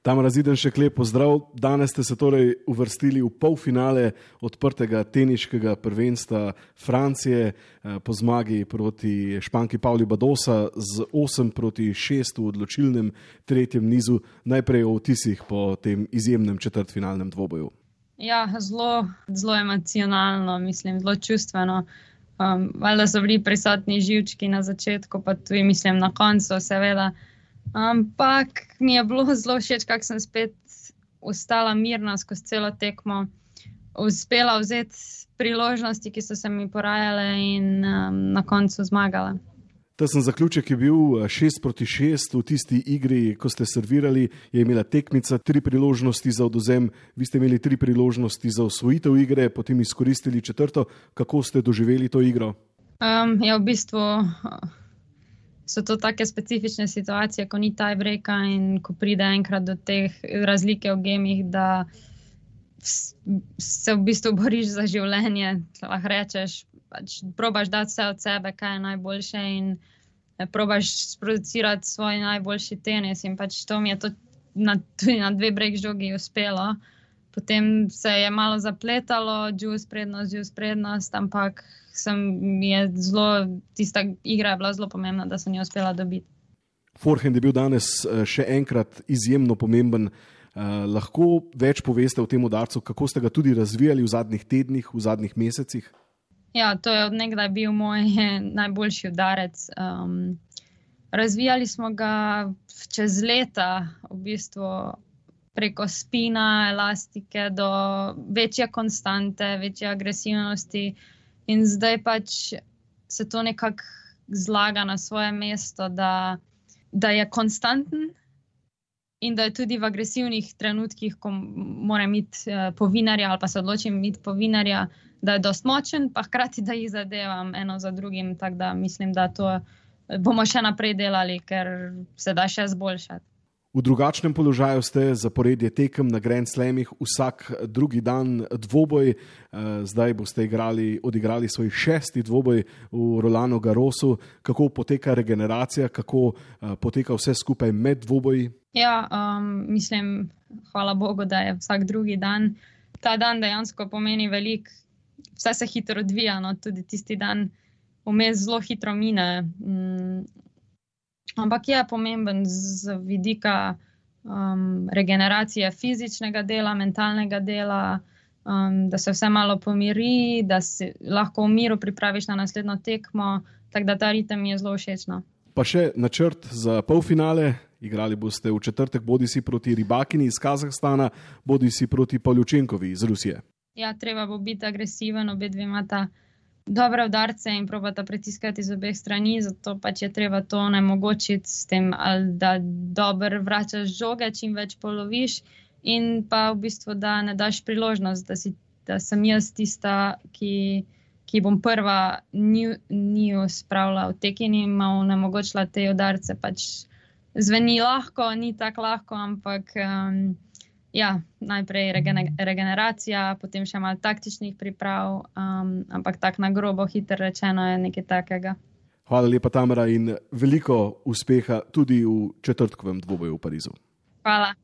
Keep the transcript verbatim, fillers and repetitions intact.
Tamara Zidanšek, lep pozdrav. Danes ste se torej uvrstili v polfinale odprtega teniškega prvenstva Francije po zmagi proti Španki Pauli Badosa z osem proti šest v odločilnem tretjem nizu. Najprej o vtisih po tem izjemnem četrtfinalnem dvoboju. Ja, zelo, zelo emocionalno, mislim, zelo čustveno. Um, valjda so bili prisotni živčki na začetku, pa tudi mislim na koncu, seveda. Ampak mi je bilo zelo všeč, kako sem spet ostala mirna skozi celo tekmo, uspela vzeti priložnosti, ki so se mi porajale in um, na koncu zmagala. Ta sem zaključek je bil šest proti šest v tisti igri, ko ste servirali, je imela tekmica tri priložnosti za odvzem, vi ste imeli tri priložnosti za osvojitev igre, potem izkoristili četrto. Kako ste doživeli to igro? Um, ja, v bistvu so to take specifične situacije, ko ni tiebreaka in ko pride enkrat do teh razlike v gemih, da se v bistvu boriš za življenje, lahko rečeš, pač probaš dati vse od sebe, kaj je najboljše in probaš sproducirati svoj najboljši tenis in pač to mi je to na, tudi na dve breg žogi uspelo. Potem se je malo zapletalo, džus prednost, džus prednost, ampak sem, je zelo, tista igra je bila zelo pomembna, da sem jo uspela dobiti. Forehand je bil danes še enkrat izjemno pomemben. Uh, lahko več poveste o tem udarcu, kako ste ga tudi razvijali v zadnjih tednih, v zadnjih mesecih? Ja, to je od nekdaj bil moj najboljši udarec. Um, razvijali smo ga čez leta, v bistvu preko spina, elastike do večje konstante, večje agresivnosti in zdaj pač se to nekako zlaga na svoje mesto, da, da je konstanten in da je tudi v agresivnih trenutkih, ko moram iti po vinarja ali pa se odločim iti po vinarja, da je dost močen, pa hkrati, da jih zadevam eno za drugim, tako da mislim, da to bomo še naprej delali, ker se da še zboljšati. V drugačnem položaju ste, zaporedje tekem na Grand Slamih, vsak drugi dan dvoboj. Zdaj boste igrali, odigrali svoj šesti dvoboj v Rolanu Garrosu. Kako poteka regeneracija, kako poteka vse skupaj med dvoboji? Ja, um, mislim, hvala Bogu, da je vsak drugi dan. Ta dan dejansko pomeni veliko, vse se hitro odvija, no, tudi tisti dan vmes zelo hitro mine. Um, Ampak je pomemben z vidika um, regeneracije fizičnega dela, mentalnega dela, um, da se vse malo pomiri, da se lahko v miru pripraviš na naslednjo tekmo, tako da ta ritem je zelo všečno. Pa še načrt za polfinale. Igrali boste v četrtek bodisi proti Rybakini iz Kazahstana, bodisi proti Pavljučenkovi iz Rusije. Ja, treba bo biti agresiven, obe dve imata dobre udarce in probata pritiskati z obeh strani, zato pač je treba to onemogočiti s tem, ali da dobro vračaš žoge, čim več poloviš in pa v bistvu, da ne daš priložnost, da, si, da sem jaz tista, ki, ki bom prva njiju spravila v tek in jim onemogočila te udarce. Pač zveni lahko, ni tako lahko, ampak um, ja, najprej regeneracija, potem še malo taktičnih priprav, um, ampak tako na grobo, hitro rečeno je nekaj takega. Hvala lepa, Tamara, in veliko uspeha tudi v četrtkovem dvoboju v Parizu. Hvala.